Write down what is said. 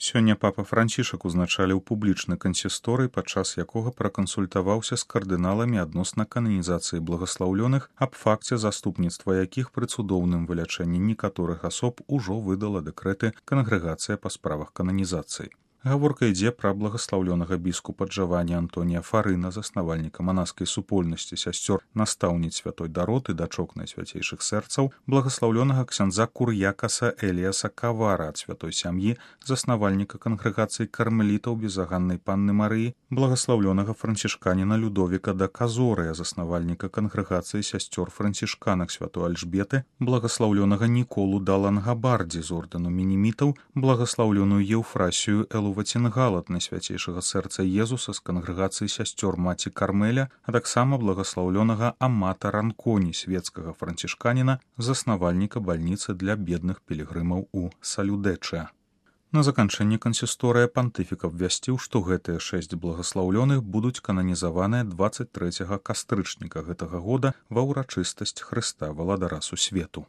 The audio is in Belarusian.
Сёння папа Францішак узначаліў публічны кансісторый, падчас якога пракансультаваўся з кардыналамі адносна кананізацыі благаслаўлёных, аб факце заступніцтва якіх пры цудоўным вылячэнні некаторых асоб ужо выдала дэкрэты кангрэгацыя па справах кананізацыі. Гаворка ідзе пра благаслаўлёнага біскупа Джавані Антонія Фарына, заснавальніка манаскай супольнасці сясцёр настаўніц святой Дароты, дачок найсвяцейшых сэрцаў, благаслаўлёнага ксяндза Кур'якаса Эліаса Кавара ад святой сям'і, заснавальніка кангрэгацыі кармелітаў безаганнай панны Марыі, благаслаўлёнага францішканіна Людовіка да Казорыя, заснавальніка кангрэгацыі сясцёр францішканак святой Альжбеты, благаслаўлёнага Ніколу да Лангабардзі з ордэну мінімітаў, благаслаўлёную Еўфрасію Ваценгал ад найсвяцейшага сэрца Езуса з кангрэгацыі сясцёр маці Кармеля, а таксама благаслаўлёнага Амата Ранконі, свецкага францішканіна, заснавальніка бальніцы для бедных пілігрымаў у Салюдэча. На заканчэнне кансісторыя пантыфік абвясціў, што гэтыя 6 благаслаўлёных будуць кананізаваныя 23 кастрычніка гэтага года ва ўрачыстасць Хрыста Валадара Сусвету.